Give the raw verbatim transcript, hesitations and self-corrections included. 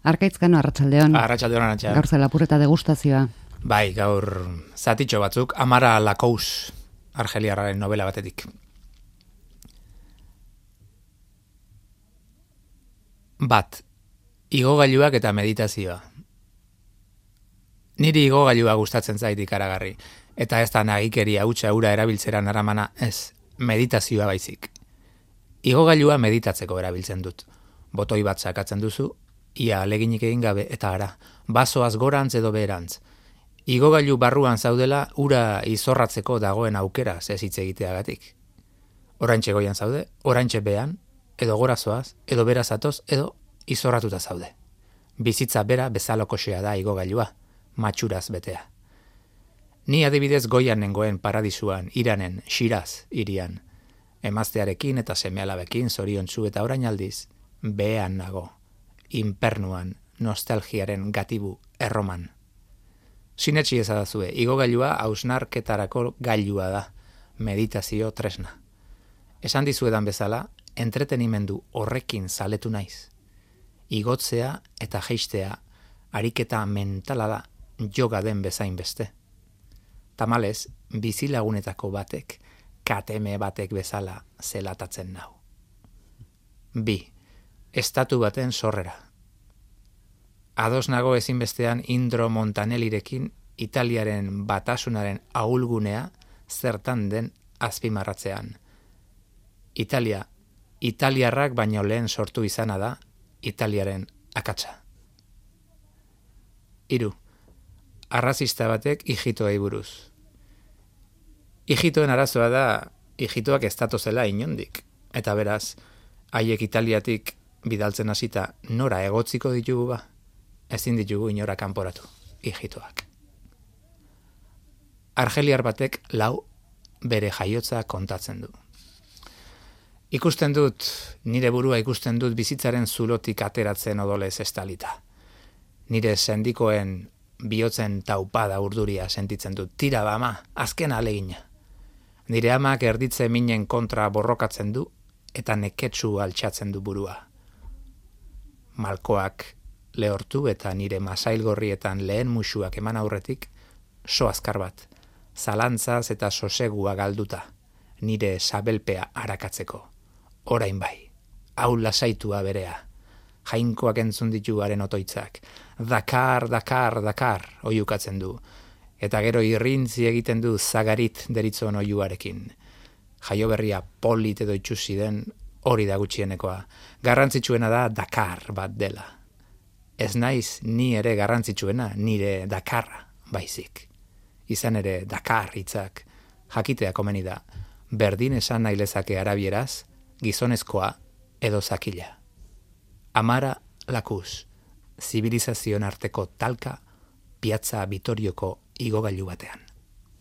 Arkaitzkano, arratsaldeon. Arratsaldeon, Arantxa. Gaur zen lapurreta degustazioa. Bai, gaur zatitxo batzuk, Amara Lakous, argeliarraren novela batetik. Bat, igogailuak eta meditazioa. Niri igogailua gustatzen zait ikaragarri, eta ez da nagikeria hutsa ura erabiltzeran aramana, ez, meditazioa baizik. Igogailua meditatzeko erabiltzen dut. Botoi bat sakatzen duzu, ia aleginik egin gabe eta ara, basoaz gorantz edo beherantz. Igogailu barruan zaudela ura izorratzeko dagoen aukera ez hitz egiteagatik. Oraintxe goian zaude, oraintxe behan, edo gorazoaz, edo berazatoz, edo izorratuta zaude. Bizitza bera bezalokoxea da igogailua, matxuraz betea. Ni adibidez goian nengoen paradisuan, Iranen, Shiraz, irian. Emaztearekin eta seme-alabekin zoriontsu eta orain aldiz, behean nago, inpernuan, nostalgiaren gatibu erroman. Sinetsi ezadazue, igogailua hausnarketarako gailua da, meditazio tresna. Esan dizuedan bezala, entretenimendu horrekin zaletu naiz. Igotzea eta jeistea, ariketa mentala da, yoga den bezain beste. Tamalez, bizilagunetako batek, kateme batek bezala zelatatzen nau. Bi, estatu baten sorrera. Ados nago ezinbestean Indro Montanellirekin Italiaren batasunaren ahulgunea zertan den azpimarratzean. Italia, italiarrak baino lehen sortu izana da Italiaren akatsa. Hiru, arrazista batek ijitoei buruz. Ijitoen arazoa da, ijitoak ez datozela inondik. Eta beraz, haiek Italiatik bidaltzen hasita nora egotziko ditugu ba, ezin ditugu inora kanporatu, ijitoak. Argeliar batek lau bere jaiotza kontatzen du. Ikusten dut, nire burua ikusten dut bizitzaren zulotik ateratzen odolez estalita. Nire sendikoen bihotzen taupada urduria sentitzen dut. Tira ba ama, azken alegina. Nire amak erditze minen kontra borrokatzen du eta neketsu altxatzen du burua. Malkoak lehortu eta nire masailgorrietan lehen musuak eman aurretik, so azkar bat, zalantzaz eta sosegua galduta, nire sabelpea arakatzeko. Orain bai, hau lasaitua berea, jainkoak entzun dituaren otoitzak, Dakar, Dakar, Dakar, oiukatzen du, eta gero irrintzi egiten du zagarit deritzon oiuarekin. Jaioberria polit edo itxusi den hori da gutxienekoa, garrantzitsuena da Dakar bat dela. Ez naiz ni ere garrantzitsuena, nire Dakarra baizik. Izan ere Dakar hitzak, jakitea komeni da, berdin esan nahi lezake arabieraz, gizonezkoa edo zakila. Amara Lakous, zibilizazioen arteko talka, Piazza Vitorioko igogailu batean.